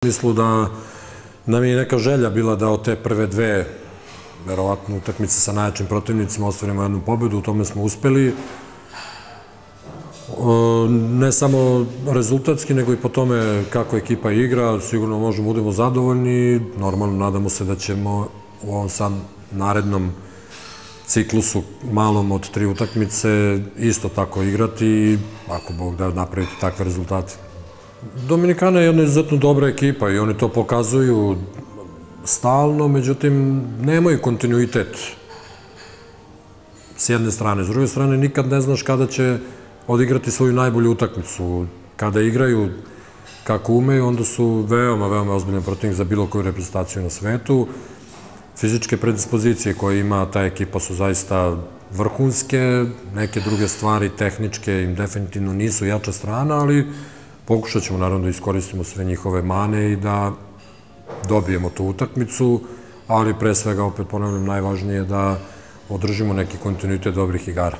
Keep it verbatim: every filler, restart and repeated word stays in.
Mislu da nam je neka želja bila da od te prve dve, verovatno, utakmice sa najjačim protivnicima ostvarimo jednu pobedu, u tome smo uspeli. Ne samo rezultatski, nego i po tome kako ekipa igra, sigurno možemo da budemo zadovoljni. Normalno, nadamo se da ćemo u ovom sad narednom ciklusu malom od tri utakmice isto tako igrati i ako Bog da napraviti takve rezultate. Dominikana je jedna izuzetno dobra ekipa i oni to pokazuju stalno, međutim, nemaju kontinuitet s jedne strane. S druge strane, nikad ne znaš kada će odigrati svoju najbolju utakmicu. Kada igraju kako umeju, onda su veoma, veoma ozbiljan protivnik za bilo koju reprezentaciju na svetu. Fizičke predispozicije koje ima ta ekipa su zaista vrhunske, neke druge stvari tehničke im definitivno nisu jača strana, ali pokušat ćemo naravno da iskoristimo sve njihove mane i da dobijemo tu utakmicu, ali pre svega, opet ponavljam, najvažnije je da održimo neki kontinuitet dobrih igara.